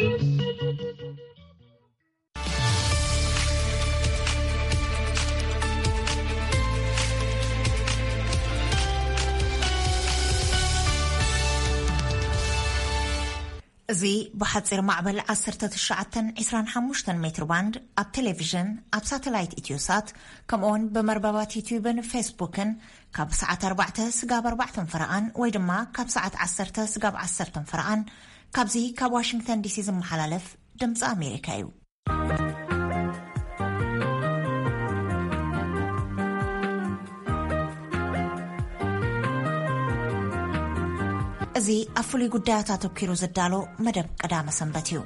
እዚ ብሓጺር ማዕበል ዓሰርተ ትሽዓተን ዕስራን ሓሙሽተን ሜትር ባንድ ኣብ ቴሌቪዥን፣ ኣብ ሳተላይት ኢትዮሳት፣ ከምኡውን ብመርበባት ዩትዩብን ፌስቡክን ካብ ሰዓት ኣርባዕተ ስጋብ ኣርባዕተን ፈረቓን ወይ ድማ ካብ ሰዓት ዓሰርተ ስጋብ ዓሰርተን ፈረቓን ካብዚ ካብ ዋሽንግተን ዲሲ ዝመሓላለፍ ድምፂ ኣሜሪካ እዩ። እዚ ኣብ ፍሉይ ጉዳያት ኣተኲሩ ዝዳሎ መደብ ቀዳመ ሰንበት እዩ።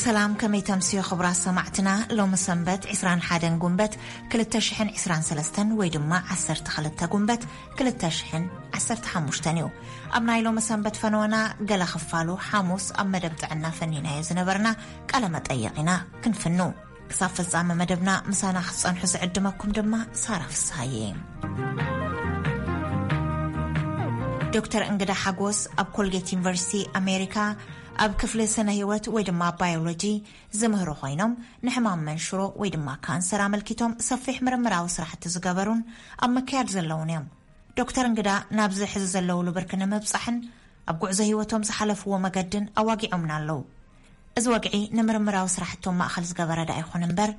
ሰላም፣ ከመይ ተምስዮ ክቡራት ሰማዕትና? ሎሚ ሰንበት ዕስራን ሓደን ጉንበት ክልተ ሽሕን ዕስራን ሰለስተን ወይ ድማ ዓሰርተ ክልተ ጉንበት ክልተ ሽሕን ዓሰርተ ሓሙሽተን እዩ። ኣብ ናይ ሎሚ ሰንበት ፈነወና ገለ ክፋሉ ሓሙስ ኣብ መደብ ጥዕና ፈኒናዮ ዝነበርና ቃለ መጠይቕ ኢና ክንፍኑ። ክሳብ ፍጻመ መደብና ምሳና ክትጸንሑ ዝዕድመኩም ድማ ሳራ ፍስሃየ። ዶክተር እንግዳ ሓጎስ ኣብ ኮልጌት ዩኒቨርሲቲ ኣሜሪካ ኣብ ክፍሊ ስነ ህይወት ወይ ድማ ባዮሎጂ ዝምህሩ ኮይኖም፣ ንሕማም መንሽሮ ወይ ድማ ካንሰር ኣመልኪቶም ሰፊሕ ምርምራዊ ስራሕቲ ዝገበሩን ኣብ ምክያድ ዘለውን እዮም። ዶክተር እንግዳ ናብዚ ሕዚ ዘለውሉ ብርኪ ንምብጻሕን ኣብ ጉዕዞ ህይወቶም ዝሓለፍዎ መገድን ኣዋጊዖምና ኣለዉ። እዚ ወግዒ ንምርምራዊ ስራሕቶም ማእኸል ዝገበረ ደኣ ይኹን እምበር፣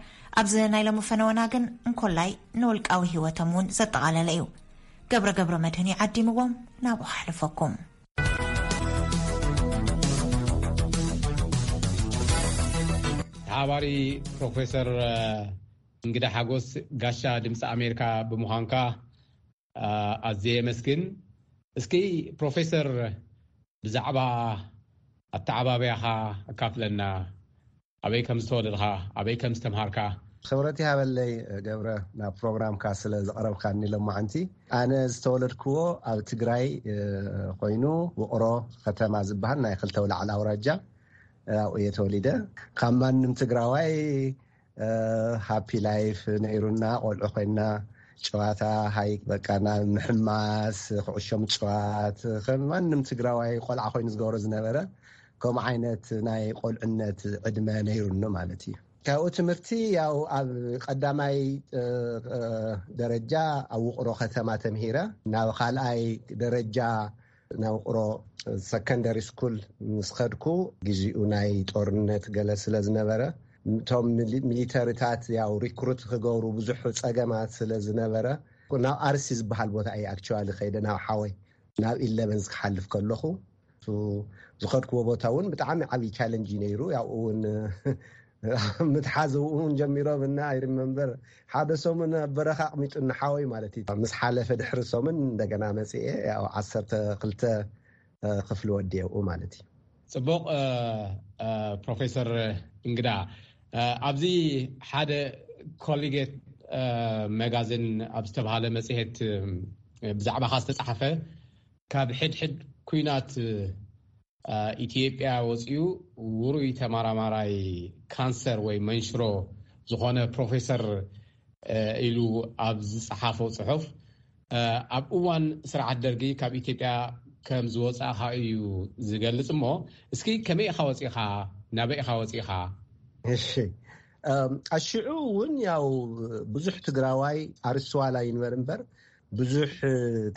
ኣብዚ ናይ ሎሚ ፈነወና ግን እንኮላይ ንውልቃዊ ህይወቶም እውን ዘጠቓለለ እዩ። ገብረ ገብረ መድህን እዩ ዓዲምዎም፣ ናብኡ ከሕልፈኩም። ተሓባሪ ፕሮፌሰር እንግዳ ሓጎስ፣ ጋሻ ድምፂ ኣሜሪካ ብምዃንካ ኣዝየ የመስግን። እስኪ ፕሮፌሰር፣ ብዛዕባ ኣተዓባብያኻ ኣካፍለና። ኣበይ ከም ዝተወለድኻ፣ ኣበይ ከም ዝተምሃርካ። ክብረት ይሃበለይ ገብረ፣ ናብ ፕሮግራምካ ስለ ዘቕረብካኒ ሎማዓንቲ። ኣነ ዝተወለድክዎ ኣብ ትግራይ ኮይኑ፣ ውቕሮ ከተማ ዝበሃል ናይ ክልተ ኣውላዕላ ኣውራጃ፣ ኣብኡ እየ ተወሊደ። ካብ ማንም ትግራዋይ ሃፒ ላይፍ ነይሩና። ቆልዑ ኮይና ጨዋታ፣ ሃይክ፣ በቃ ናብ ምሕማስ፣ ኩዕሾ ምጭዋት ከም ማንም ትግራዋይ ቆልዓ ኮይኑ ዝገብሮ ዝነበረ፣ ከምኡ ዓይነት ናይ ቆልዕነት ዕድመ ነይሩኒ ማለት እዩ። ካብኡ ትምህርቲ ያው ኣብ ቀዳማይ ደረጃ ኣብ ውቕሮ ከተማ ተምሂረ፣ ናብ ካልኣይ ደረጃ ናብ ውቕሮ ሰከንደሪ ስኩል ምስ ከድኩ፣ ግዜኡ ናይ ጦርነት ገለ ስለ ዝነበረ፣ እቶም ሚሊተሪታት ያው ሪክሩት ክገብሩ ብዙሕ ጸገማት ስለ ዝነበረ፣ ናብ ኣርሲ ዝበሃል ቦታ እየ ኣክቹዋሊ ከይደ፣ ናብ ሓወይ ናብ ኢለቨንስ ክሓልፍ ከለኹ፣ ዝኸድክዎ ቦታ እውን ብጣዕሚ ዓብዪ ቻለንጅ እዩ ነይሩ። ያው እውን ምትሓዝ እውን ጀሚሮም እና፣ ኣይሪመምበር ሓደ ሰሙን ኣብ በረኻ ኣቕሚጡ ንሓወይ ማለት እዩ። ምስ ሓለፈ ድሕሪ ሰሙን እንደገና መፅኤ፣ ያው ዓሰርተ ክልተ ክፍሊ ወዲኤ ኣብኡ ማለት እዩ። ፅቡቕ። ፕሮፌሰር እንግዳ፣ ኣብዚ ሓደ ኮሊጌት መጋዝን ኣብ ዝተባሃለ መፅሄት ብዛዕባኻ ዝተፃሓፈ፣ ካብ ሕድሕድ ኩናት ኢትዮጵያ ወፂኡ ውሩይ ተመራማራይ ካንሰር ወይ መንሽሮ ዝኾነ ፕሮፌሰር ኢሉ ኣብ ዝፀሓፎ ፅሑፍ፣ ኣብ እዋን ስርዓት ደርጊ ካብ ኢትዮጵያ ከም ዝወፃእኻ እዩ ዝገልፅ። እሞ እስኪ ከመይ ኢኻ ወፂኻ? ናበይ ኢኻ ወፂኻ? እሺ፣ ኣሽዑ እውን ያው ብዙሕ ትግራዋይ ኣርስትዋላ ይንበር እምበር፣ ብዙሕ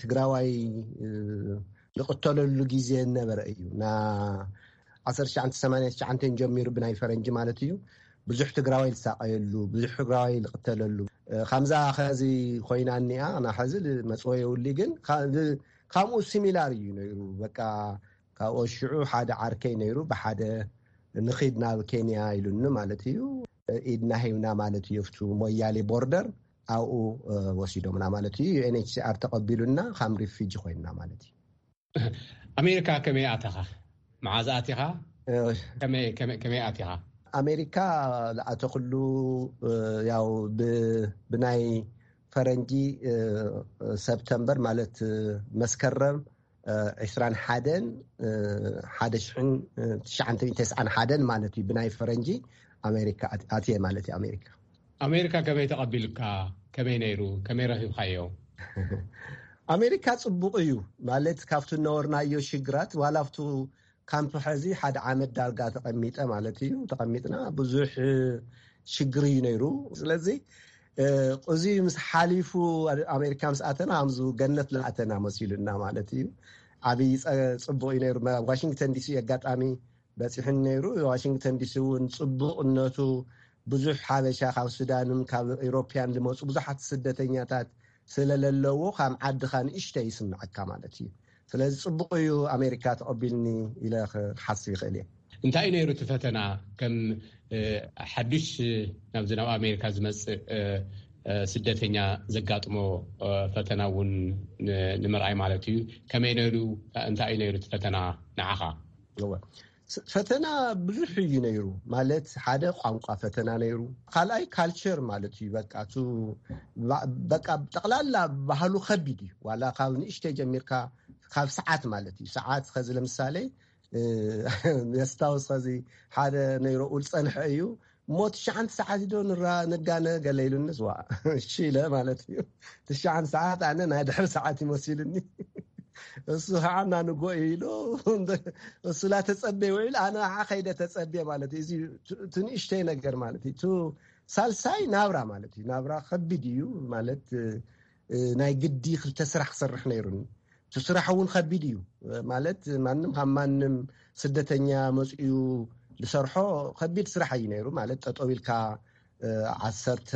ትግራዋይ ዝቕተለሉ ግዜ ነበረ እዩ። ና ዓሰርተ ትሽዓተ ሰማንያ ትሽዓተ ጀሚሩ ብናይ ፈረንጂ ማለት እዩ፣ ብዙሕ ትግራዋይ ዝሳቐየሉ፣ ብዙሕ ትግራዋይ ዝቕተለሉ፣ ከምዛ ኸዚ ኮይና እኒኣ ናሐዚ መፅወ የውሊ። ግን ካብኡ ሲሚላር እዩ ነይሩ። በቃ ካብኡ ሽዑ ሓደ ዓርከይ ነይሩ፣ ብሓደ ንኺድ ናብ ኬንያ ኢሉኒ ማለት እዩ። ኢድና ሂብና ማለት እዩ፣ ኣብቱ ሞያሌ ቦርደር ኣብኡ ወሲዶምና ማለት እዩ። ዩኤንኤችሲኣር ተቐቢሉና፣ ከም ሪፊጂ ኮይንና ማለት እዩ። ኣሜሪካ ከመይ ኣተኻ? መዓዝ ኣቲኻ? ከመይ ኣቲኻ? ኣሜሪካ ዝኣተኽሉ ያው ብናይ ፈረንጂ ሰብተምበር ማለት መስከረም ዕስራን ሓደን ሓደ ሽሕን ትሽዓተ ሚእትን ተስዓን ሓደን ማለት እዩ። ብናይ ፈረንጂ ኣሜሪካ ኣትየ ማለት እዩ። ኣሜሪካ ኣሜሪካ ከመይ ተቐቢሉካ? ከመይ ነይሩ? ከመይ ረኺብካዮ? ኣሜሪካ ጽቡቕ እዩ ማለት ካብቲ ነበርናዮ ሽግራት ዋላ ኣብቱ ካምፕ ሕዚ ሓደ ዓመት ዳርጋ ተቐሚጠ ማለት እዩ። ተቐሚጥና ብዙሕ ሽግር እዩ ነይሩ። ስለዚ እዚ ምስ ሓሊፉ ኣሜሪካ ምስ ኣተና ከምዚ ገነት ዝኣተና መሲሉና ማለት እዩ። ዓብዪ ጸ- ጽቡቕ እዩ ነይሩ። መ- ዋሽንግተን ዲሲ ኣጋጣሚ በፂሕን ነይሩ። ዋሽንግተን ዲሲ እውን ጽቡቕነቱ ብዙሕ ሓበሻ ካብ ሱዳንን ካብ ኢሮፕያን ዝመፁ ብዙሓት ስደተኛታት ስለለለዎ ካብ ዓድኻ ንእሽተይ ይስምዐካ ማለት እዩ። ስለዚ ጽቡቕ እዩ ኣሜሪካ ተቐቢልኒ ኢለ ክሓስብ ይኽእል እየ። እንታይ እዩ ነይሩ እቲ ፈተና? ከም ሓዱሽ ናብዚ ናብ ኣሜሪካ ዝመፅእ ስደተኛ ዘጋጥሞ ፈተና እውን ንምርኣይ ማለት እዩ። ከመይ ነይሩ? እንታይ እዩ ነይሩ እቲ ፈተና ንዓኻ? ፈተና ብዙሕ እዩ ነይሩ። ማለት ሓደ ቋንቋ ፈተና ነይሩ፣ ካልኣይ ካልቸር ማለት እዩ። በቃ ጠቅላላ ባህሉ ከቢድ እዩ። ዋላ ካብ ንእሽተ ጀሚርካ ካብ ሰዓት ማለት እዩ። ሰዓት ከዚ ለምሳሌ የስታውስ ከዚ ሓደ ነይሮ ኡል ፀንሐ እዩ እሞ ትሽዓንተ ሰዓት ዶ ንጋነ ገለ ኢሉኒ ዝዋ እሺ ኢለ ማለት እዩ። ትሽዓንተ ሰዓት ኣነ ናይ ድሕሪ ሰዓት ይመሲሉኒ። እሱ ከዓ እናንጎ ኢሉ እሱ ላተፀበየ ውዒሉ ኣነ ከዓ ከይደ ተፀብየ ማለት እዩ። እዚ ትንእሽተይ ነገር ማለት እዩ። ሳልሳይ ናብራ ማለት እዩ። ናብራ ከቢድ እዩ ማለት ናይ ግዲ ክልተ ስራሕ ክሰርሕ ነይሩኒ። እቲ ስራሕ እውን ከቢድ እዩ ማለት ማንም ካብ ማንም ስደተኛ መፅኡ ዝሰርሖ ከቢድ ስራሕ እዩ ነይሩ። ማለት ጠጠው ኢልካ ዓሰርተ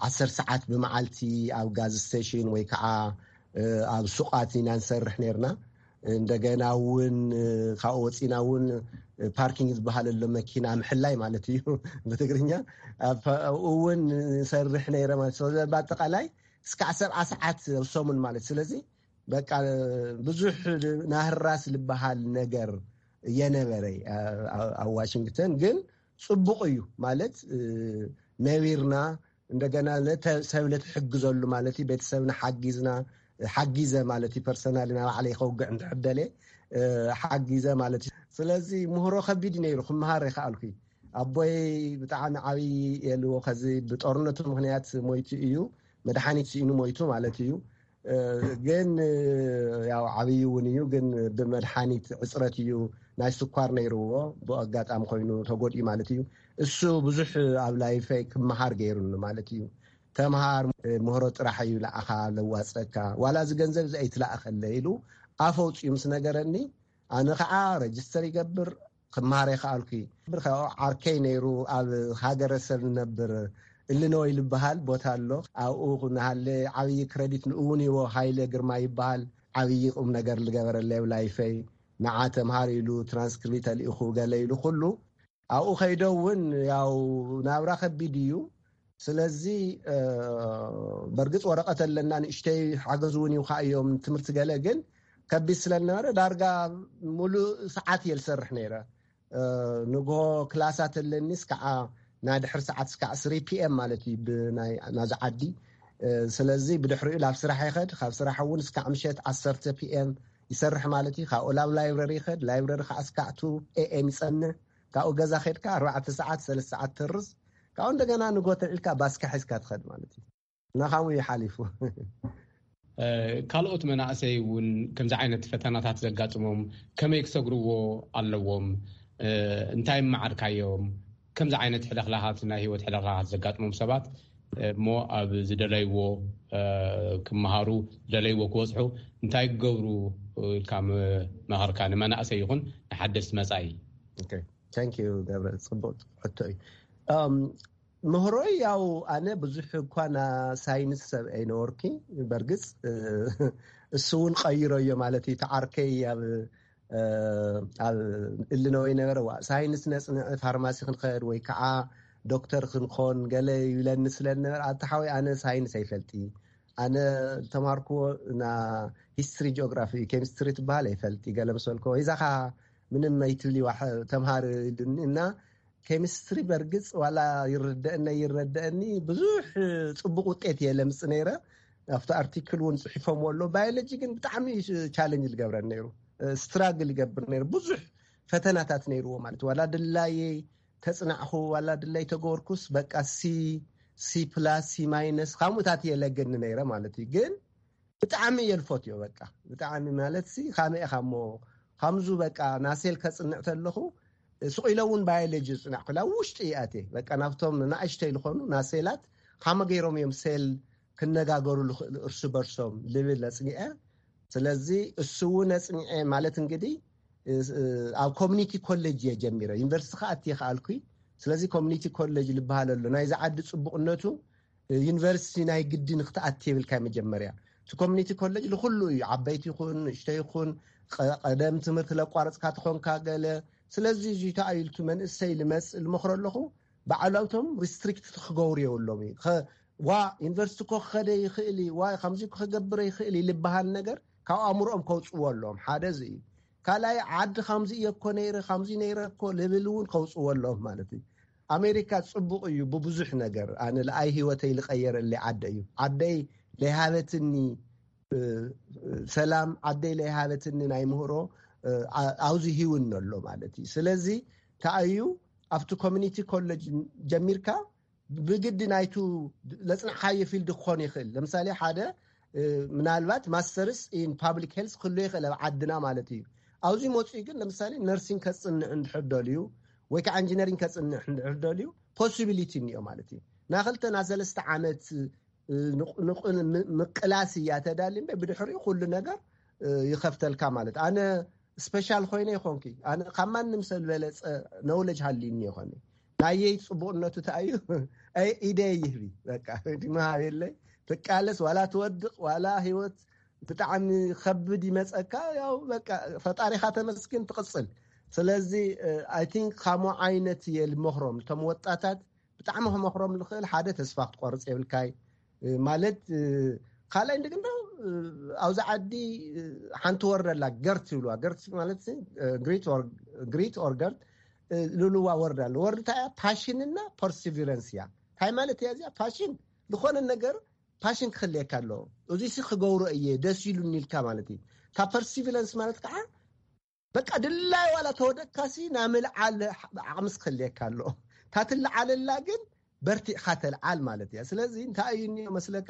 ዓሰርተ ሰዓት ብመዓልቲ ኣብ ጋዝ ስቴሽን ወይ ከዓ ኣብ ሱቓት ኢና ንሰርሕ ነርና። እንደገና እውን ካብኡ ወፂና እውን ፓርኪንግ ዝበሃል ኣሎ መኪና ምሕላይ ማለት እዩ ብትግርኛ። ኣብኡ እውን ንሰርሕ ነይረ ማለት። ስለዚ በኣጠቃላይ እስካዕ ሰብዓ ሰዓት ኣብ ሰሙን ማለት። ስለዚ በቃ ብዙሕ ናህራስ ዝበሃል ነገር የነበረ ኣብ ዋሽንግተን። ግን ፅቡቕ እዩ ማለት ነቢርና እንደገና ሰብ ለትሕግዘሉ ማለት እዩ። ቤተሰብና ሓጊዝና ሓጊዘ ማለት እዩ። ፐርሰናል ና ባዕለይ ከውግዕ እንትሕደለ ሓጊዘ ማለት እዩ። ስለዚ ምህሮ ከቢድ ነይሩ። ክመሃር ይከኣልኩ። ኣቦይ ብጣዕሚ ዓብዪ የልዎ ከዚ ብጦርነቱ ምክንያት ሞይቱ እዩ። መድሓኒት ስኢኑ ሞይቱ ማለት እዩ። ግን ያው ዓብዪ እውን እዩ። ግን ብመድሓኒት ዕፅረት እዩ ናይ ስኳር ነይርዎ። ብኣጋጣሚ ኮይኑ ተጎድኡ ማለት እዩ። እሱ ብዙሕ ኣብ ላይፈይ ክመሃር ገይሩኒ ማለት እዩ። ተምሃር ምህሮ ጥራሕ እዩ ለኣኻ ለዋፀካ ዋላ እዚ ገንዘብ እዚ ኣይትለኣኸለ ኢሉ ኣፈውፅኡ ምስ ነገረኒ ኣነ ከዓ ረጅስተር ይገብር ክመሃር ይከኣልኩ። ዓርከይ ነይሩ ኣብ ሃገረሰብ ነብር እልኖይ ዝበሃል ቦታ ኣሎ። ኣብኡ ንሃለ ዓብዪ ክረዲት ንእውን ይዎ ሃይለ ግርማ ይበሃል። ዓብዪ ቁም ነገር ዝገበረለይ ኣብ ላይፈይ። ንዓ ተምሃር ኢሉ ትራንስክሪፕት ኣልኢኹ ገለ ኢሉ ኩሉ ኣብኡ ከይዶ እውን ያው ናብራ ከቢድ እዩ። ስለዚ በርግፅ ወረቐት ኣለና ንእሽተይ ሓገዝ እውን ይውካ እዮም ትምህርቲ ገለ ግን ከቢድ ስለነበረ ዳርጋ ሙሉእ ሰዓት እየ ዝሰርሕ ነይረ። ንግሆ ክላሳት ኣለኒ ስከዓ ናይ ድሕሪ ሰዓት ስከዓ ስሪ ፒኤም ማለት እዩ ብናይ ናዚ ዓዲ። ስለዚ ብድሕሪኡ ላብ ስራሕ ይኸድ ካብ ስራሕ እውን ስከዓ ምሸት ዓሰርተ ፒኤም ይሰርሕ ማለት እዩ። ካብኡ ላብ ላይብረሪ ይኸድ ላይብረሪ ከዓ ስከዓ ቱ ኤኤም ይፀንዕ። ካብኡ ገዛ ከድካ ኣርባዕተ ሰዓት ሰለስተ ሰዓት ተርዝ ካብኡ እንደገና ንጎተ ኢልካ ባስካ ሒዝካ ትኸድ ማለት እዩ። ናኻሙ እዩ ሓሊፉ። ካልኦት መናእሰይ እውን ከምዚ ዓይነት ፈተናታት ዘጋጥሞም ከመይ ክሰግርዎ ኣለዎም? እንታይ መዓርካዮም? ከምዚ ዓይነት ሕለኽላኻት ናይ ህይወት ሕለኽላኻት ዘጋጥሞም ሰባት እሞ ኣብ ዝደለይዎ ክመሃሩ ዝደለይዎ ክበፅሑ እንታይ ክገብሩ ኢልካ መኸርካ ንመናእሰይ ይኹን ንሓደስቲ መፃኢ? ገብረ ፅቡቅ ሕቶ እዩ። ምህሮይ ያው ኣነ ብዙሕ እኳ ና ሳይንስ ሰብ ኣይነበርኩ። በርግፅ እሱ እውን ቀይሮ እዮ ማለት እዩ። ተዓርከይ ኣብ ኣብ እልነወይ ነበረ ዋ ሳይንስ ነፅንዕ ፋርማሲ ክንኸድ ወይ ከዓ ዶክተር ክንኮን ገለ ይብለኒ ስለነበረ ኣተሓወይ ኣነ ሳይንስ ኣይፈልጢ። ኣነ ተማርክዎ ና ሂስትሪ ጂኦግራፊ ኬሚስትሪ ትበሃል ኣይፈልጢ ገለ መሰልኮ ወይዛኻ ምንም ኣይትብሊ ተምሃር እና ኬሚስትሪ በርግፅ ዋላ ይረደአኒ ይረደአኒ ብዙሕ ፅቡቅ ውጤት እየ ለምፅ ነይረ። ኣብቲ ኣርቲክል እውን ፅሒፎም ኣሎ። ባዮሎጂ ግን ብጣዕሚ ቻለንጅ ዝገብረን ነይሩ። ስትራግል ይገብር ነይሩ። ብዙሕ ፈተናታት ነይርዎ ማለት ዋላ ድላየ ተፅናዕኹ ዋላ ድላይ ተገበርኩስ በቃ ሲ ሲ ፕላስ ሲ ማይነስ ካምኡታት እየ ለገኒ ነይረ ማለት እዩ። ግን ብጣዕሚ እየ ልፈትዮ። በቃ ብጣዕሚ ማለት ሲ ካመ ኢኻ እሞ፣ ከምዙ በቃ ናሴል ከፅንዕ ተለኹ ስቕ ኢለ እውን ባዮሎጂ ዝፅናዕኩላ ውሽጢ ይኣቴ። በቃ ናብቶም ንኣሽተይ ዝኾኑ ናሴላት ካመ ገይሮም እዮም ሴል ክነጋገሩ ልኽእሉ እርሱ በርሶም ልብል ኣፅኒዐ። ስለዚ እሱ እውን ኣፅኒዐ ማለት እንግዲህ ኣብ ኮሚኒቲ ኮሌጅ እየ ጀሚረ። ዩኒቨርሲቲ ክኣቲ ይኽኣልኩ። ስለዚ ኮሚኒቲ ኮሌጅ ልበሃል ኣሎ። ናይዚ ዓዲ ፅቡቕነቱ ዩኒቨርሲቲ ናይ ግዲ ንክትኣቲ የብልካ። መጀመርያ እቲ ኮሚኒቲ ኮሌጅ ንኩሉ እዩ፣ ዓበይቲ ይኹን ንእሽቶ ይኹን፣ ቀደም ትምህርቲ ለቋረፅካ ትኾንካ ገለ። ስለዚ እዚ ተኣይልቱ መንእሰይ ልመፅእ ልመክሮ ኣለኹ። ባዕላውቶም ሪስትሪክት ክገብሩ የብሎም እዩ። ዋ ዩኒቨርሲቲ ኮ ክኸደ ይኽእል እዩ፣ ዋ ከምዚ ክገብረ ይኽእል እዩ ልበሃል ነገር ካብ ኣእምሮኦም ከውፅዎ ኣለዎም። ሓደ እዚ እዩ። ካልኣይ ዓዲ ከምዚ እየ እኮ ነይረ፣ ከምዚ ነይረ እኮ ልብል እውን ከውፅዎ ኣለዎም ማለት እዩ። ኣሜሪካ ፅቡቕ እዩ ብብዙሕ ነገር። ኣነ ለኣይ ህይወተይ ልቀየረለይ ዓደ እዩ። ዓደይ ለይሃበትኒ ሰላም፣ ዓደይ ለይሃበትኒ ናይ ምህሮ ኣብዚ ሂውን ኣሎ ማለት እዩ። ስለዚ ተኣዩ ኣብቲ ኮሚኒቲ ኮሌጅ ጀሚርካ ብግዲ ናይቱ ለፅንዕካዮ ፊልድ ክኾን ይኽእል። ለምሳሌ ሓደ ምናልባት ማስተርስ ኢን ፓብሊክ ሄልስ ክህሉ ይኽእል ኣብ ዓድና ማለት እዩ። ኣብዚ መፅኡ ግን ለምሳሌ ነርሲንግ ከፅንዕ እንድሕር ደልዩ ወይ ከዓ ኢንጂነሪንግ ከፅንዕ እንድሕር ደልዩ ፖሲቢሊቲ እኒኦ ማለት እዩ። ናክልተ ናሰለስተ ዓመት ምቅላስ እያ ተዳሊ እምበር ብድሕሪኡ ኩሉ ነገር ይኸፍተልካ ማለት። ኣነ ስፔሻል ኮይነ ይኾንኪ፣ ኣነ ካብ ማንም ሰብ ዝበለፀ ነውለጅ ሃልዩኒ ይኾነ። ናየይ ፅቡቅነቱ ተኣዩ ኢደ ይህቢ። በቃ ድመሃብ የለይ። ትቃለስ ዋላ ትወድቅ ዋላ ህይወት ብጣዕሚ ከብድ ይመፀካ፣ ያው በቃ ፈጣሪኻ ተመስግን ትቅፅል። ስለዚ ኣይ ቲንክ ካሞ ዓይነት እየ ልመክሮም እቶም ወጣታት። ብጣዕሚ ክመክሮም ልኽእል ሓደ ተስፋ ክትቆርፅ የብልካይ ማለት። ካልኣይ እንደግና ኣብዚ ዓዲ ሓንቲ ወርድ ኣላ፣ ገርት ይብልዋ። ገርት ማለት ግሪት ኦር ገርት ልብልዋ ወርድ ኣለ። ወርድ እንታይ እያ? ፓሽንና ፐርሲቪረንስ እያ። እንታይ ማለት እያ እዚኣ? ፓሽን ዝኾነ ነገር ፓሽን ክኽልየካ ኣለዎ። እዚ ሲ ክገብሮ እየ ደስ ኢሉኒ ኢልካ ማለት እዩ። ካብ ፐርሲቪረንስ ማለት ከዓ በቃ ድላይ ዋላ ተወደቅካሲ ናብ ምልዓል ዓቕምስ ክህልየካ ኣሎ። እታ ትልዓለላ ግን በርቲዕካ ተልዓል ማለት እያ። ስለዚ እንታይ እዩ እኒኦ መስለካ፣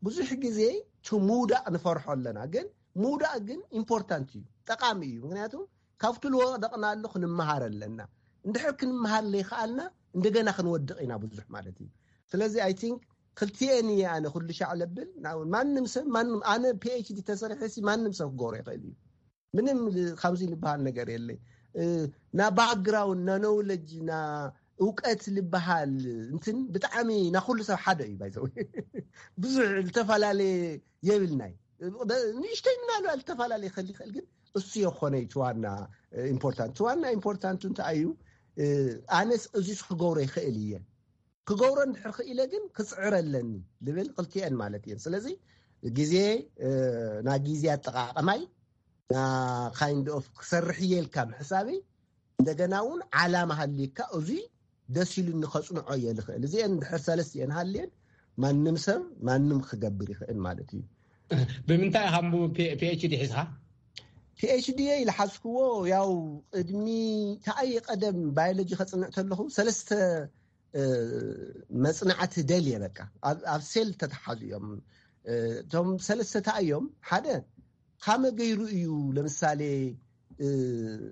ብዙሕ ግዜ ቱ ምውዳእ ንፈርሖ ኣለና፣ ግን ምውዳእ ግን ኢምፖርታንት እዩ፣ ጠቃሚ እዩ። ምክንያቱ ካብቲ ልወደቕናሉ ክንመሃር ኣለና። እንድሕር ክንመሃር ለይከኣልና እንደገና ክንወድቕ ኢና ብዙሕ ማለት እዩ። ስለዚ ኣይ ቲንክ ክልቲኤን እየ ኣነ ኩሉ ሻዕ ለብል። ማንም ሰብ ማንም ኣነ ፒኤችዲ ተሰሪሐ ሲ ማንም ሰብ ክገብሮ ይኽእል እዩ። ምንም ካብዚ ዝበሃል ነገር የለ። ና ባክግራውንድ ና ኖውለጅ ና እውቀት ዝበሃል እንትን ብጣዕሚ ና ኩሉ ሰብ ሓደ እዩ ባይዘው ብዙሕ ዝተፈላለየ የብልናይ። ንእሽተይ ምናልባት ዝተፈላለየ ክእል ይኽእል፣ ግን እሱ የኮነ እዩ ዋና ኢምፖርታንት። ዋና ኢምፖርታንቱ እንታይ እዩ? ኣነስ እዚስ ክገብሮ ይኽእል እየ፣ ክገብሮ እንድሕር ክኢለ ግን ክፅዕር ኣለኒ ልብል ክልቲኤን ማለት እየን። ስለዚ ግዜ ና ግዜ ኣጠቃቀማይ ና ካይንድ ኦፍ ክሰርሕ እየ ኢልካ ምሕሳበይ፣ እንደገና እውን ዓላማ ሃልዩካ እዙይ ደስ ኢሉኒ ከፅንዖ እየ ልኽእል። እዚአን እንድሕር ሰለስቲአን ሃልየን ማንም ሰብ ማንም ክገብር ይኽእል ማለት እዩ። ብምንታይ ኢኻ ፒኤችዲ ሒዝካ? ፒኤችዲ ኢልሓዝክዎ ያው ቅድሚ ተኣየ ቀደም ባዮሎጂ ከፅንዕ ተለኹ ሰለስተ መፅናዕቲ ደልየ። በቃ ኣብ ሴል ተተሓዙ እዮም እቶም ሰለስተ። እንታይ እዮም? ሓደ ካመ ገይሩ እዩ ለምሳሌ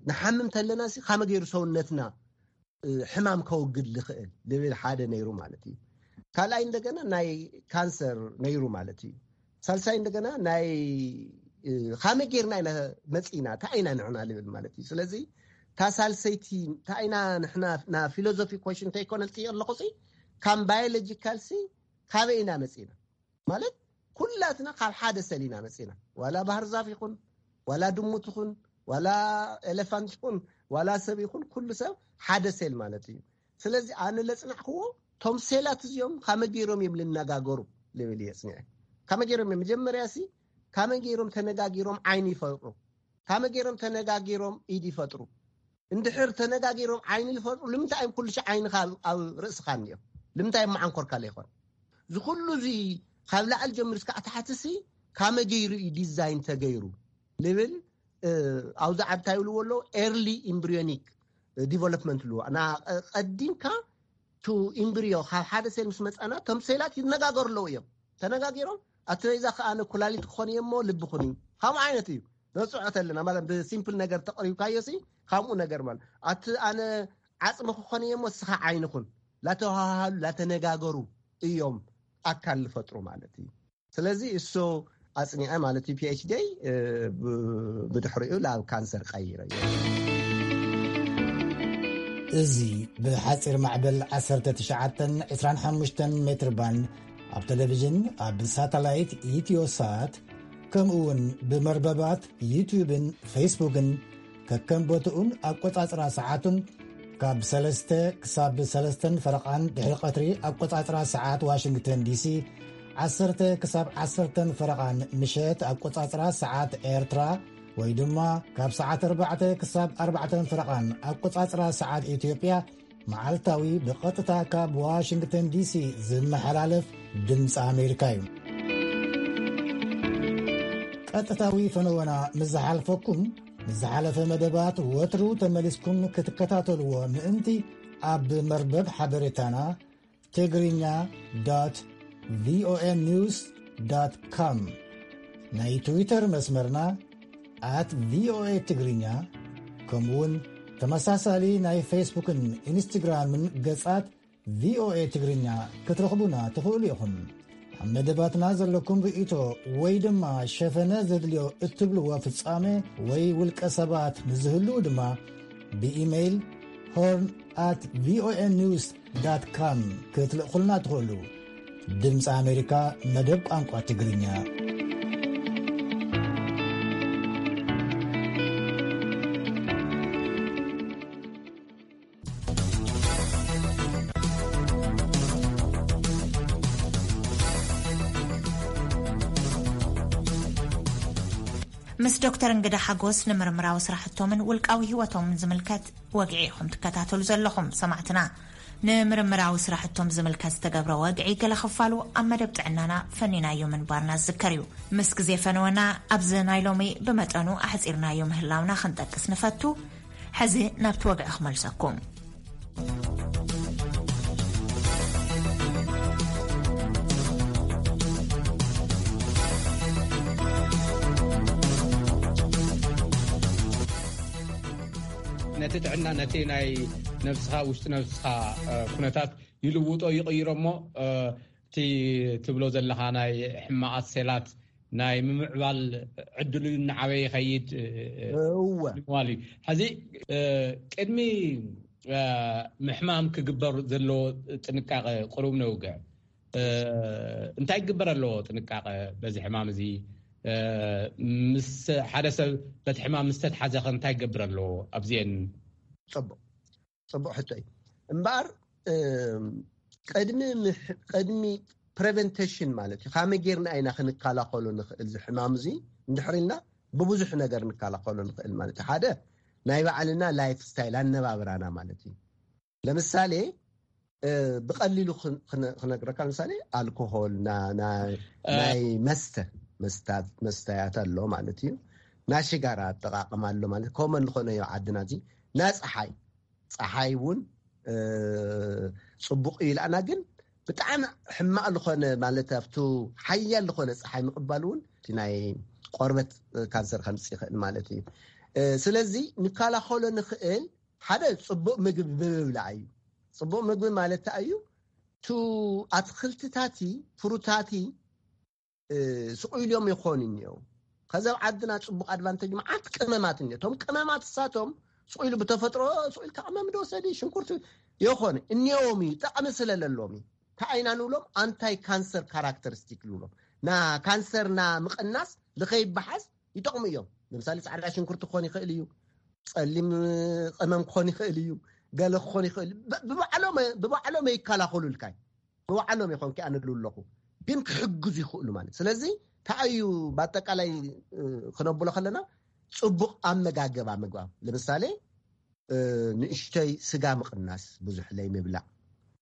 ንሓምም ተለና ካመ ገይሩ ሰውነትና ሕማም ከወግድ ዝኽእል ዝብል ሓደ ነይሩ ማለት እዩ። ካልኣይ እንደገና ናይ ካንሰር ነይሩ ማለት እዩ። ሳልሳይ እንደገና ናይ ካመ ጌርና ኢና መፂና እንታይ ኢና ንሕና ዝብል ማለት እዩ። ስለዚ እታ ሳልሰይቲ እንታይ ኢና ንሕና ና ፊሎዞፊ ኮሽን እንተይኮነ ልፅዮ ኣለኹ ካም ባዮሎጂካል ሲ ካበይ ኢና መፂና ማለት ኩላትና ካብ ሓደ ሰል ኢና መፂና። ዋላ ባህር ዛፍ ይኹን ዋላ ድሙት ይኹን ዋላ ኤሌፋንት ይኹን ዋላ ሰብ ይኹን ኩሉ ሰብ ሓደ ሴል ማለት እዩ። ስለዚ ኣነ ለፅናዕክዎ ቶም ሴላት እዚኦም ካመ ገይሮም እዮም ልነጋገሩ ልብል እየ ፅኒዐ። ካመ ገይሮም እዮም መጀመርያ ሲ ካመ ገይሮም ተነጋጊሮም ዓይኒ ይፈጥሩ፣ ካመ ገይሮም ተነጋጊሮም ኢድ ይፈጥሩ። እንድሕር ተነጋጊሮም ዓይኒ ዝፈጥሩ ልምንታይ እዮም ኩሉ ሻዕ ዓይንኻ ኣብ ርእስኻ እኒኦም? ልምንታይ እዮም መዓንኮርካ ለይኮን? እዚ ኩሉ እዚ ካብ ላዕሊ ጀምር እስካዕ ታሕቲ ሲ ካመ ገይሩ እዩ ዲዛይን ተገይሩ ልብል ኣብዚ ዓድታ ይብልዎ ኣለዉ ኤርሊ ኢምብሪዮኒክ ዲቨሎፕመንት ልዎ ና ቀዲምካ ቱ ኢምብሪዮ ካብ ሓደ ሴል ምስ መፃና ቶም ሴላት ይነጋገሩ ኣለዉ እዮም። ተነጋጊሮም ኣቲ ናይዛ ከኣ ኣነ ኩላሊት ክኾን እየ እሞ ልቢ ኩኒ። ከምኡ ዓይነት እዩ። ነጽዖት ኣለና ማለት ብሲምፕል ነገር ተቕሪብካዮ ሲ፣ ከምኡ ነገር ማለት። ኣቲ ኣነ ዓጽሚ ክኾን እየ እሞ እስኻ ዓይኒ ኩን። ላተወሃሃሉ፣ ላተነጋገሩ እዮም ኣካል ዝፈጥሩ ማለት እዩ። ስለዚ እሱ ኣጽኒዐ ማለት እዩ ፒኤችዲ፣ እ፣ ብ-፣ ብድሕሪኡ ናብ ካንሰር ቀይረ እዩ። እዚ ብሓጺር ማዕበል ዓሰርተ ትሽዓተ ዕስራን ሓሙሽተን ሜትር ባንድ ኣብ ቴሌቪዥን፣ ኣብ ሳተላይት ኢትዮሳት፣ ከምኡ እውን ብመርበባት ዩትዩብን ፌስቡክን ከከም ቦትኡን ኣቆጻጽራ ሰዓቱን ካብ ሰለስተ ክሳብ ሰለስተን ፈረቓን ድሕሪ ቀትሪ ኣቆጻጽራ ሰዓት ዋሽንግተን ዲሲ፣ ዓሰርተ ክሳብ ዓሰርተን ፈረቓን ምሸት ኣቆጻጽራ ሰዓት ኤርትራ፣ ወይ ድማ ካብ ሰዓት ኣርባዕተ ክሳብ ኣርባዕተን ፈረቓን ኣቆጻጽራ ሰዓት ኢትዮጵያ፣ መዓልታዊ ብቐጥታ ካብ ዋሽንግተን ዲሲ ዝመሓላለፍ ድምፂ ኣሜሪካ እዩ። ቀጥታዊ ፈነወና ምስ ዝሓልፈኩም፣ ምስ ዝሓለፈ መደባት ወትሩ ተመሊስኩም ክትከታተልዎ ምእንቲ፣ ኣብ መርበብ ሓበሬታና ትግርኛ ዶት ቪኦኤ ኒውስ ዶት ኮም፣ ናይ ትዊተር መስመርና ኣት ቪኦኤ ትግርኛ፣ ከምኡውን ተመሳሳሊ ናይ ፌስቡክን ኢንስትግራምን ገጻት ቪኦኤ ትግርኛ ክትረኽቡና ትኽእሉ ኢኹም። ኣብ መደባትና ዘለኩም ርእይቶ ወይ ድማ ሸፈነ ዘድልዮ እትብልዎ ፍጻሜ ወይ ውልቀ ሰባት ንዝህልው ድማ ብኢሜይል ሆርን ኣት ቪኦኤ ኒውስ ዳት ካም ክትልእኹልና ትኽእሉ። ድምፂ ኣሜሪካ፣ መደብ ቋንቋ ትግርኛ። ምስ ዶክተር እንግዳ ሓጎስ ንምርምራዊ ስራሕቶምን ውልቃዊ ህይወቶምን ዝምልከት ወግዒ ኢኹም ትከታተሉ ዘለኹም ሰማዕትና። ንምርምራዊ ስራሕቶም ዝምልከት ዝተገብረ ወግዒ ገለ ክፋሉ ኣብ መደብ ጥዕናና ፈኒናዮ ምንባርና ዝዝከር እዩ። ምስ ግዜ ፈነወና ኣብዚ ናይ ሎሚ ብመጠኑ ኣሕጺርናዮ ምህላውና ክንጠቅስ ንፈቱ። ሕዚ ናብቲ ወግዒ ክመልሰኩም። ነቲ ጥዕና፣ ነቲ ናይ ነብስኻ፣ ውሽጢ ነብስኻ፣ እ፣ ኩነታት ይልውጦ፣ ይቕይሮ እሞ፣ እ፣ እቲ ትብሎ ዘለኻ ናይ ሕማቓት ሴላት ናይ ምምዕባል ዕድሉ እናዓበየ ይኸይድ፣ እ፣ እ፣ እወ። ንምባል እዩ። ሕዚ፣ እ፣ ቅድሚ፣ እ፣ ምሕማም ክግበር ዘለዎ ጥንቃቐ ቁሩብ ነውግዕ። እ፣ እንታይ ክግበር ኣለዎ ጥንቃቐ በዚ ሕማም እዚ? እ፣ ምስ ሓደ ሰብ በቲ ሕማም ምስ ተትሓዘ ኸ እንታይ ክገብር ኣለዎ? ኣብዚኤን። ጽቡቕ፣ ጽቡቕ ሕቶ እዩ። እምበኣር፣ እም፣ ቅድሚ ምሕ-፣ ቅድሚ ፕሬቨንቴሽን ማለት እዩ። ካመይ ጌርና ኢና ክንከላኸሎ ንኽእል እዚ ሕማም እዚ? እንድሕር ኢልና ብብዙሕ ነገር ንከላኸሎ ንኽእል ማለት እዩ። ሓደ ናይ ባዕልና ላይፍ ስታይል፣ ኣነባብራና ማለት እዩ። ለምሳሌ፣ እ፣ ብቐሊሉ ክን-፣ ክነ-፣ ክነግረካ፣ ለምሳሌ ኣልኮሆል፣ ና-፣ ና-፣ እ፣ ናይ መስተ፣ መስታት፣ መስተያት ኣሎ ማለት እዩ። ናይ ሽጋራ ኣጠቓቕማ ኣሎ ማለት፣ ኮመን ዝኾነ እዩ ዓድና እዚ። ናይ ፀሓይ፣ ፀሓይ እውን፣ እ፣ ጽቡቕ እዩ ኢላና፣ ግን ብጣዕሚ ሕማቕ ዝኾነ ማለት ኣብቱ ሓያል ዝኾነ ፀሓይ ምቕባል እውን እቲ ናይ ቆርበት ካንሰር ከምፅእ ይኽእል ማለት እዩ። እ፣ ስለዚ ንከላኸሎ ንኽእል ሓደ ጽቡቕ ምግቢ ብምብላዕ እዩ። ጽቡቕ ምግቢ ማለት እንታይ እዩ? ቱ ኣትክልትታቲ፣ ፍሩታቲ፣ እ፣ ስቕ ኢሎም ይኾኑ እኒኦ። ከዚ ኣብ ዓድና ጽቡቕ ኣድቫንቴጅ መዓት ቅመማት እኒኦ። እቶም ቅመማት እሳቶም ስቕ ኢሉ ብተፈጥሮ ስቕ ኢልካ ቅመም ዶ ወሰዲ፣ ሽንኩርቲ ይኾነ እኒኦም እዩ፣ ጠቕሚ ስለ ለሎም እዩ። እንታይ ኢና ንብሎም? ኣንታይ ካንሰር ካራክተሪስቲክ ንብሎም። ና ካንሰር ና ምቕናስ ልኸይበሓዝ ይጠቕሙ እዮም። ለምሳሌ ጻዕዳ ሽንኩርቲ ክኾን ይኽእል እዩ፣ ጸሊም ቅመም ክኾን ይኽእል እዩ፣ ገለ ክኾን ይኽእል እዩ። ብ-፣ ብባዕሎም፣ ብባዕሎም ይከላኸሉልካ እዩ። ብባዕሎም ይኾን ክኣንሉ ኣለኹ፣ ግን ክሕግዙ ይኽእሉ ማለት። ስለዚ እንታይ እዩ ብኣጠቃላይ፣ እ፣ ክነብሎ ከለና ጽቡቕ ኣመጋገባ ምግባር። ለምሳሌ፣ እ፣ ንእሽተይ ስጋ ምቕናስ፣ ብዙሕ ለይ ምብላዕ፣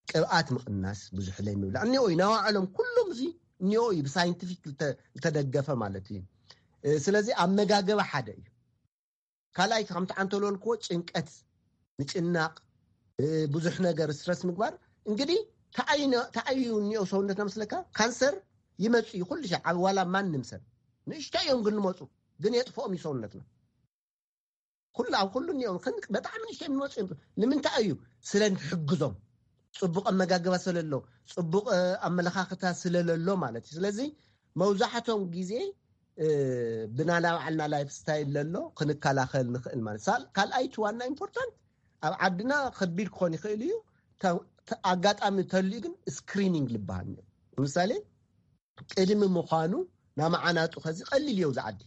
ቅብኣት ምቕናስ፣ ብዙሕ ለይ ምብላዕ። እኒኦ እዩ፣ ናይ ባዕሎም ኩሎም እዚ እኒኦ እዩ፣ ብሳይንቲፊክ ልተ-፣ ልተደገፈ ማለት እዩ። እ፣ ስለዚ ኣመጋገባ ሓደ እዩ። ካልኣይ ከምቲ ዓንተሎ ልክዎ ጭንቀት፣ ምጭናቕ፣ እ፣ ብዙሕ ነገር ስትረስ ምግባር። እንግዲህ ተኣይ ነ-፣ ተኣዩ እኒኦ ሰውነትና መስለካ ካንሰር ይመፁ እዩ ኩሉ ሻዕ። ኣብ ዋላ ማንም ሰብ ንእሽቶ እዮም ግን ንመፁ ግን የጥፍኦም እዩ ሰውነትና። ኩሉ ኣብ ኩሉ እኒኦም ግን ብጣዕሚ ንእሽቶ እዮም ንመፁ እዮም። ንምንታይ እዩ? ስለ ንሕግዞም፣ ፅቡቅ ኣመጋግባ ስለለሎ፣ ፅቡቅ ኣመለካክታ ስለለሎ ማለት እዩ። ስለዚ መብዛሕቶም ግዜ ብናና ባዕልና ላይፍ ስታይል ለሎ ክንከላኸል ንኽእል ማለት። ካልኣይቲ ዋና ኢምፖርታንት ኣብ ዓድና ከቢድ ክኾን ይኽእል እዩ። ኣጋጣሚ ተልዩ ግን ስክሪኒንግ ልበሃል። ንምሳሌ ቅድሚ ምዃኑ ናመዓናጡ ከዚ ቀሊል እዮ ዝዓዲ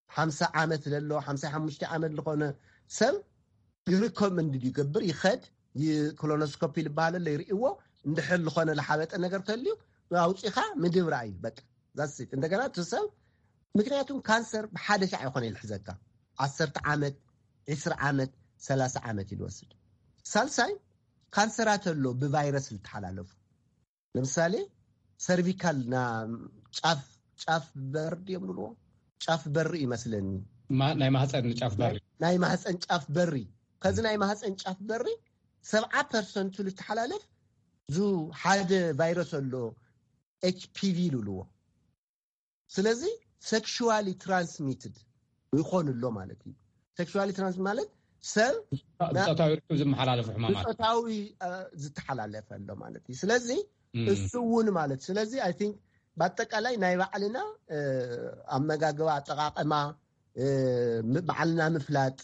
ሓምሳ ዓመት ለሎ ሓምሳ ሓሙሽተ ዓመት ዝኾነ ሰብ ይሪኮመንድ ይገብር ይኸድ ኮሎኖስኮፒ ዝበሃል ኣሎ ይርእዎ። እንድሕር ዝኾነ ዝሓበጠ ነገር ተልዩ ኣውፂኻ ምድብራ እዩ በቃ ዛሲት። እንደገና እቲ ሰብ ምክንያቱም ካንሰር ብሓደ ሻዕ ይኾነ ይልሕዘካ ዓሰርተ ዓመት ዕስራ ዓመት ሰላሳ ዓመት ይወስድ። ሳልሳይ ካንሰራት ኣሎ ብቫይረስ ዝተሓላለፉ ለምሳሌ ሰርቪካል ና ጫፍ ጫፍ በር ድዮም ንብልዎ ጫፍ በሪ ይመስለኒ ናይ ማህፀን ጫፍ በሪ ናይ ማህፀን ጫፍ በሪ ከዚ ናይ ማህፀን ጫፍ በሪ ሰብዓ ፐርሰንቱ ዝተሓላለፍ ዙ ሓደ ቫይረስ ኣሎ ኤች ፒ ቪ ይብልዎ። ስለዚ ሴክሹዋሊ ትራንስሚትድ ይኾን ኣሎ ማለት እዩ። ሴክሹዋሊ ትራንስ ማለት ሰብ ብፆታዊ ርክብ ዝመሓላለፉ ሕማማት ብፆታዊ ዝተሓላለፈ ኣሎ ማለት እዩ። ስለዚ እሱ እውን ማለት ስለዚ ኣይ ቲንክ ብኣጠቃላይ ናይ ባዕልና ኣመጋግባ ኣጠቃቀማ ባዕልና ምፍላጥ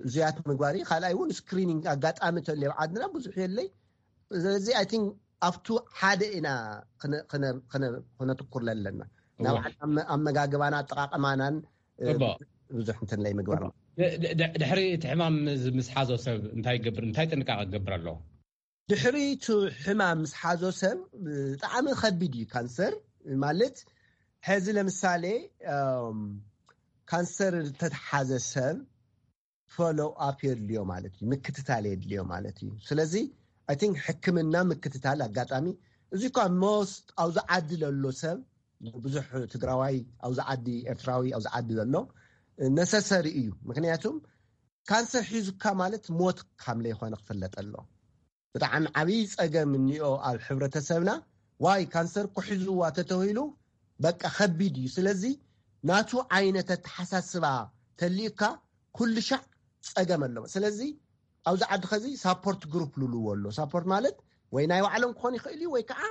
እዚያት ምግባር እዩ። ካልኣይ እውን ስክሪኒንግ ኣጋጣሚ ተልዮ ዓድና ብዙሕ የለይ። ስለዚ ኣይ ቲንክ ኣብቱ ሓደ ኢና ክነትኩር ለለና ናብ ኣመጋግባና ኣጠቃቀማናን ብዙሕ እንትን ላይ ምግባር። ድሕሪ እቲ ሕማም ምስ ሓዞ ሰብ እንታይ ይገብር እንታይ ጥንቃቄ ክገብር ኣለዎ? ድሕሪ እቲ ሕማም ምስ ሓዞ ሰብ ብጣዕሚ ከቢድ እዩ ካንሰር ማለት ሕዚ ለምሳሌ ካንሰር ተተሓዘ ሰብ ፎሎ ኣፕ የድልዮ ማለት እዩ ምክትታል የድልዮ ማለት እዩ። ስለዚ ኣይ ቲንክ ሕክምና ምክትታል ኣጋጣሚ እዚ እኳ ሞስት ኣብዚ ዓዲ ለሎ ሰብ ብዙሕ ትግራዋይ ኣብዚ ዓዲ ኤርትራዊ ኣብዚ ዓዲ ዘሎ ነሰሰሪ እዩ። ምክንያቱም ካንሰር ሒዙካ ማለት ሞት ካምለ ይኮነ ክፍለጥ ኣሎ። ብጣዕሚ ዓብዪ ፀገም እኒኦ ኣብ ሕብረተሰብና ዋይ ካንሰር ኩሒዝዋ ተተሂሉ በቃ ከቢድ እዩ። ስለዚ ናቱ ዓይነት ኣተሓሳስባ ተልእካ ኩሉ ሻዕ ፀገም ኣለዎ። ስለዚ ኣብዚ ዓዲ ከዚ ሳፖርት ግሩፕ ልልዎ ኣሎ። ሳፖርት ማለት ወይ ናይ ባዕሎም ክኾን ይኽእል እዩ ወይ ከዓ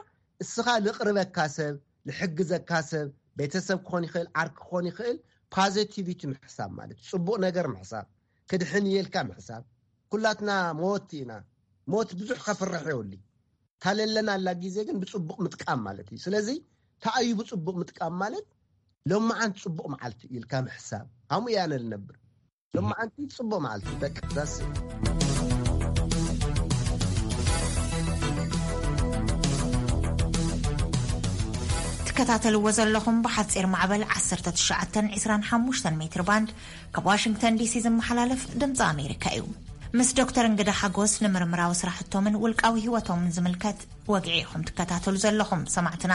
እስኻ ልቕርበካ ሰብ ልሕግዘካ ሰብ ቤተሰብ ክኾን ይኽእል ዓርክ ክኾን ይኽእል ፓዘቲቪቲ ምሕሳብ ማለት ፅቡቅ ነገር ምሕሳብ ክድሕን እየልካ ምሕሳብ። ኩላትና ሞት ኢና። ሞት ብዙሕ ከፍርሕ የውሊ ታለለና ኣላ ግዜ ግን ብፅቡቅ ምጥቃም ማለት እዩ። ስለዚ ተኣዩ ብፅቡቅ ምጥቃም ማለት ሎማዓንት ፅቡቅ መዓልቲ ኢልካ ምሕሳብ ኣሙ እያነ ልነብር ሎማዓንቲ ፅቡቅ መዓልቲ በቃ ዛስ ትከታተልዎ ዘለኹም ብሓፂር ማዕበል ዓሰርተ ትሽዓተ ዕስራን ሓሙሽተን ሜትር ባንድ ካብ ዋሽንግተን ዲሲ ዝመሓላለፍ ድምፂ ኣሜሪካ እዩ። ምስ ዶክተር እንግዳ ሓጎስ ንምርምራዊ ስራሕቶምን ውልቃዊ ህይወቶምን ዝምልከት ወግዒ ኢኹም ትከታተሉ ዘለኹም ሰማዕትና።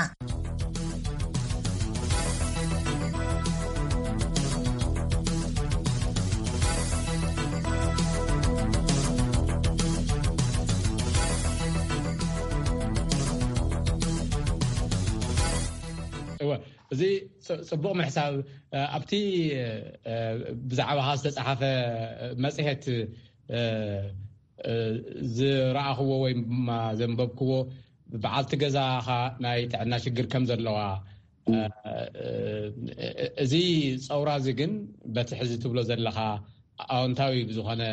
እዚ ፅቡቕ ምሕሳብ ኣብቲ ብዛዕባኻ ዝተፃሓፈ መፅሄት ዝረኣኽዎ ወይ ድማ ዘንበብክዎ በዓልቲ ገዛኻ ናይ ጥዕና ሽግር ከም ዘለዋ እዚ ፀውራ እዚ ግን በቲ ሕዚ ትብሎ ዘለኻ ኣዎንታዊ ብዝኾነ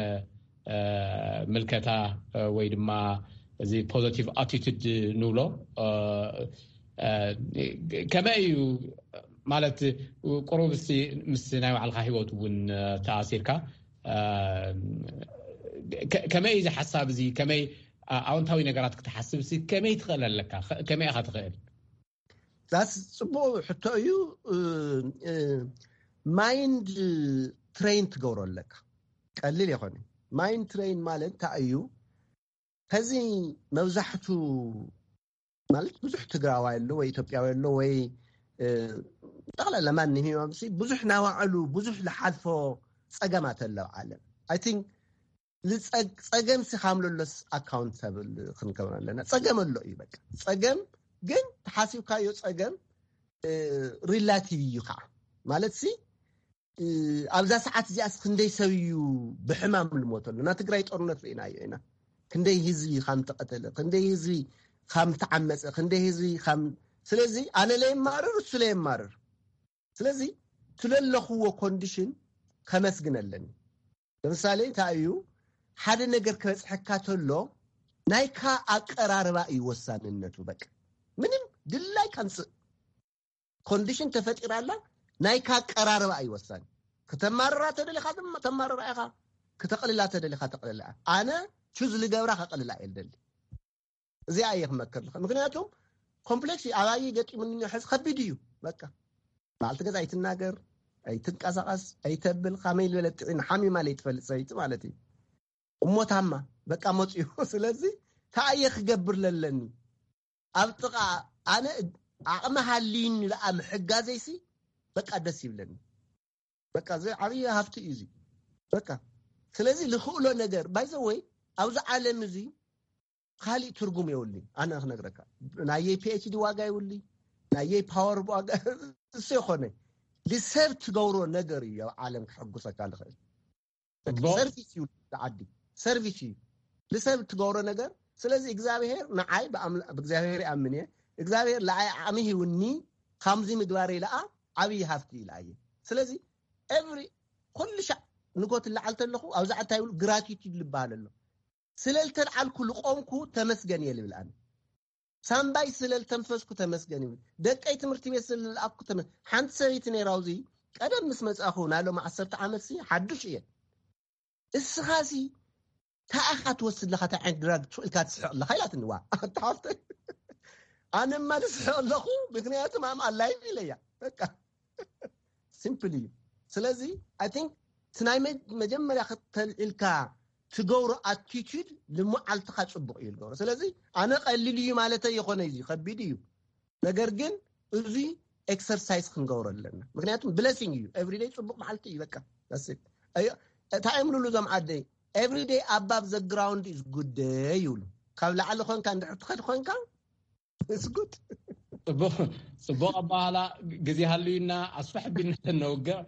ምልከታ ወይ ድማ እዚ positive attitude ንብሎ ከመይ እዩ ማለት ቁሩብ ምስ ናይ ባዕልካ ሂወት እውን ተኣሲርካ ከመይ እዚ ሓሳብ እዚ ከመይ ኣዎንታዊ ነገራት ክትሓስብ ከመይ ትኽእል ኣለካ ከመይ ኢኻ ትኽእል? ዛስ ፅቡቅ ሕቶ እዩ። ማይንድ ትሬን ትገብሮ ኣለካ ቀሊል ይኮነ። ማይንድ ትሬን ማለት እንታይ እዩ? ከዚ መብዛሕቱ ማለት ብዙሕ ትግራዋይ ኣሎ ወይ ኢትዮጵያዊ ኣሎ ወይ ጠቕላላ ማንም ሂማምሲ ብዙሕ ናባዕሉ ብዙሕ ዝሓልፎ ፀገማት ኣለብ ዓለም ኣይ ቲንክ ጸገም ሲ ካምለሎስ ኣካውንታብል ክንከውን ኣለና። ጸገም ኣሎ እዩ በቃ ጸገም ግን ተሓሲብካዮ ጸገም ሪላቲቭ እዩ ከዓ። ማለት ሲ ኣብዛ ሰዓት እዚኣስ ክንደይ ሰብ እዩ ብሕማም ልሞተሉ? ና ትግራይ ጦርነት ርኢናዮ ኢና። ክንደይ ህዝቢ ከም ተቐተለ፣ ክንደይ ህዝቢ ከም ተዓመፀ፣ ክንደይ ህዝቢ ከም ስለዚ ኣነ ለየማርር፣ እሱ ለየማርር። ስለዚ ትለለኽዎ ኮንዲሽን ከመስግን ኣለኒ። ለምሳሌ እንታይ እዩ? ሓደ ነገር ክበፅሐካ ተሎ ናይካ ኣቀራርባ እዩ ወሳንነቱ። በቃ ምንም ድላይ ከምፅእ ኮንዲሽን ተፈጢራላ፣ ናይካ ኣቀራርባ እዩ ወሳኒ። ክተማርራ ተደሊኻ ድማ ተማርራ ኢኻ፣ ክተቕልላ ተደሊኻ ተቕልላ። ኣነ ቹዝ ልገብራ ከቕልላ እየ ልደሊ። እዚኣ እየ ክመክር ልኸ ምክንያቱም ኮምፕሌክስ እዩ። ኣባይ ገጢሙኒ ሕዚ ከቢድ እዩ። በቃ በዓልቲ ገዛ ኣይትናገር፣ ኣይትንቀሳቐስ፣ ኣይተብል፣ ካመይ ዝበለ ጥዒን ሓሚማ ለይትፈልጥ ሰበይቲ ማለት እዩ። እሞታማ በቃ መፅኡ። ስለዚ ታየ ክገብር ለለኒ ኣብ ጥቓ ኣነ ዓቕሚ ሃልዩኒ ደኣ ምሕጋዘይሲ በቃ ደስ ይብለኒ። በቃ እዚ ዓብዪ ሃፍቲ እዩ እዚ። በቃ ስለዚ ልኽእሎ ነገር ባይዘወይ ኣብዚ ዓለም እዚ ካሊእ ትርጉም የብሉን። ኣነ ክነግረካ ናየይ ፒኤችዲ ዋጋ የብሉይ፣ ናየይ ፓወር ዋጋ እሱ የኾነ ልሰብ ትገብሮ ነገር እዩ ኣብ ዓለም ክሕጉሰካ ልኽእል። ሰርቪስ እዩ ዓዲ ሰርቪስ እዩ ልሰብ ትገብሮ ነገር። ስለዚ እግዚኣብሔር ንዓይ ብኣምላ- ብእግዚኣብሔር ይኣምን እየ። እግዚኣብሔር ለዓይ ዓቕሚ ሂውኒ፣ ከምዚ ምግባር ኢለኣ ዓብዪ ሃፍቲ ኢለኣየ። ስለዚ ኤቭሪ ኩሉ ሻዕ ንጎት ላዓል ተለኹ ኣብዛ ዓታ ይብሉ ግራቲቱድ ልበሃል ኣሎ። ስለ ልተልዓልኩ ልቆምኩ ተመስገን እየ ልብል ኣነ። ሳምባይ ስለ ልተንፈስኩ ተመስገን ይብል። ደቀይ ትምህርቲ ቤት ስለ ልኣኩ ተመ ሓንቲ ሰበይቲ ነይራ ኣብዚ ቀደም ምስ መጻኹ ናይ ሎም ዓሰርተ ዓመት ሲ ሓዱሽ እየ። እስኻ ሲ ታኣኻ ትወስድ ለኻ ታይ ዓይነት ድራግ ትስእልካ ትስሕቕ ኣለኻ ኢላትኒ። ዋ ኣታ ሓፍተይ ኣነማ ንስሕቕ ኣለኹ። ምክንያቱ ማም ኣላይቭ ኢለያ በቃ ሲምፕል እዩ። ስለዚ ኣይ ቲንክ እቲ ናይ መ- መጀመርያ ከተልዒልካ ትገብሮ ኣቲቱድ ልሙዓልትኻ ጽቡቕ እዩ ዝገብሮ። ስለዚ ኣነ ቀሊል እዩ ማለት ኣይኮነ እዩ ከቢድ እዩ። ነገር ግን እዚ ኤክሰርሳይዝ ክንገብሮ ኣለና። ምክንያቱም ብለሲንግ እዩ። ኤቭሪደይ ጽቡቅ መዓልቲ እዩ። በቃ that's it። እንታይ እዮም ልብሉ እዞም ዓደይ? Every day above the ground is good day ይብሉ። ካብ ላዕሊ ኮንካ እንድሕር ትኸድ ኮንካ it's good። ጽቡቅ ኣባሃላ። ግዜ ሃልዩና ኣስፍሕ ቢልና ተነውግዕ።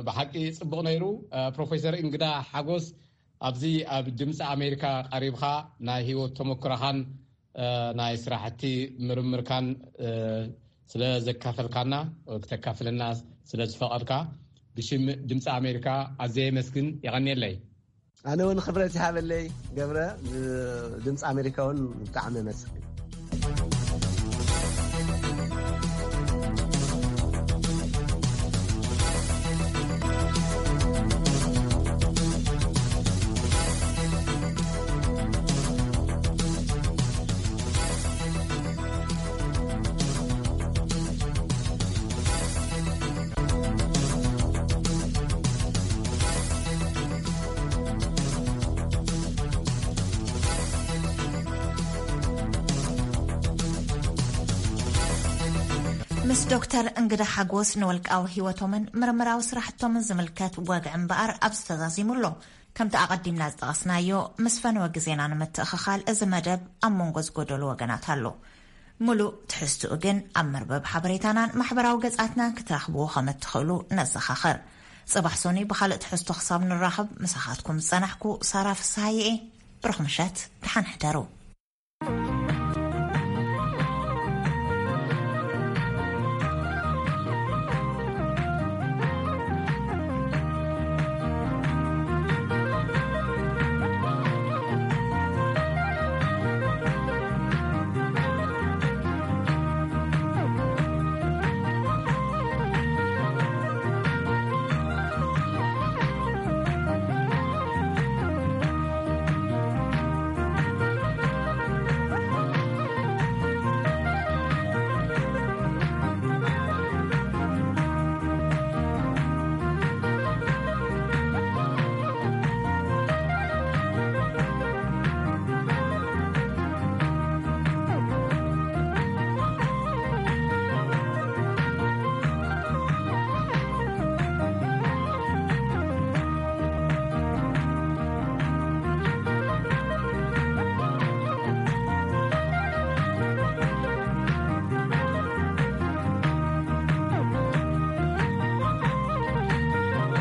ብሓቂ ጽቡቅ ነይሩ። ፕሮፌሰር እንግዳ ሓጎስ ኣብዚ ኣብ ድምፂ ኣሜሪካ ቀሪብካ ናይ ህይወት ተመክሮኻን ናይ ስራሕቲ ምርምርካን ስለ ዘካፈልካና ክተካፍለና ስለ ዝፈቐድካ ብሽም ድምፂ ኣሜሪካ ኣዘየ መስግን የቐንየለይ። ኣነ እውን ክብረት ይሃበለይ ገብረ። ድምፂ ኣሜሪካ እውን ብጣዕሚ መስግን። ምስ ዶክተር እንግዳ ሓጎስ ንወልቃዊ ህይወቶምን ምርምራዊ ስራሕቶምን ዝምልከት ወግዒ እምበኣር ኣብዚ ተዛዚሙ ኣሎ። ከምቲ ኣቐዲምና ዝጠቐስናዮ፣ ምስ ፈነወ ግዜና ንምትእኽኻል እዚ መደብ ኣብ መንጎ ዝጎደሉ ወገናት ኣሎ። ምሉእ ትሕዝትኡ ግን ኣብ መርበብ ሓበሬታናን ማሕበራዊ ገጻትናን ክትረኽብዎ ከም እትኽእሉ ነዘኻኽር። ጽባሕ ሶኒ ብኻልእ ትሕዝቶ ክሳብ ንራኸብ ምሳኻትኩም ዝጸናሕኩ ሳራ ፍስሃየ እየ። ብሩኽ ምሸት፣ ደሓን ሕደሩ።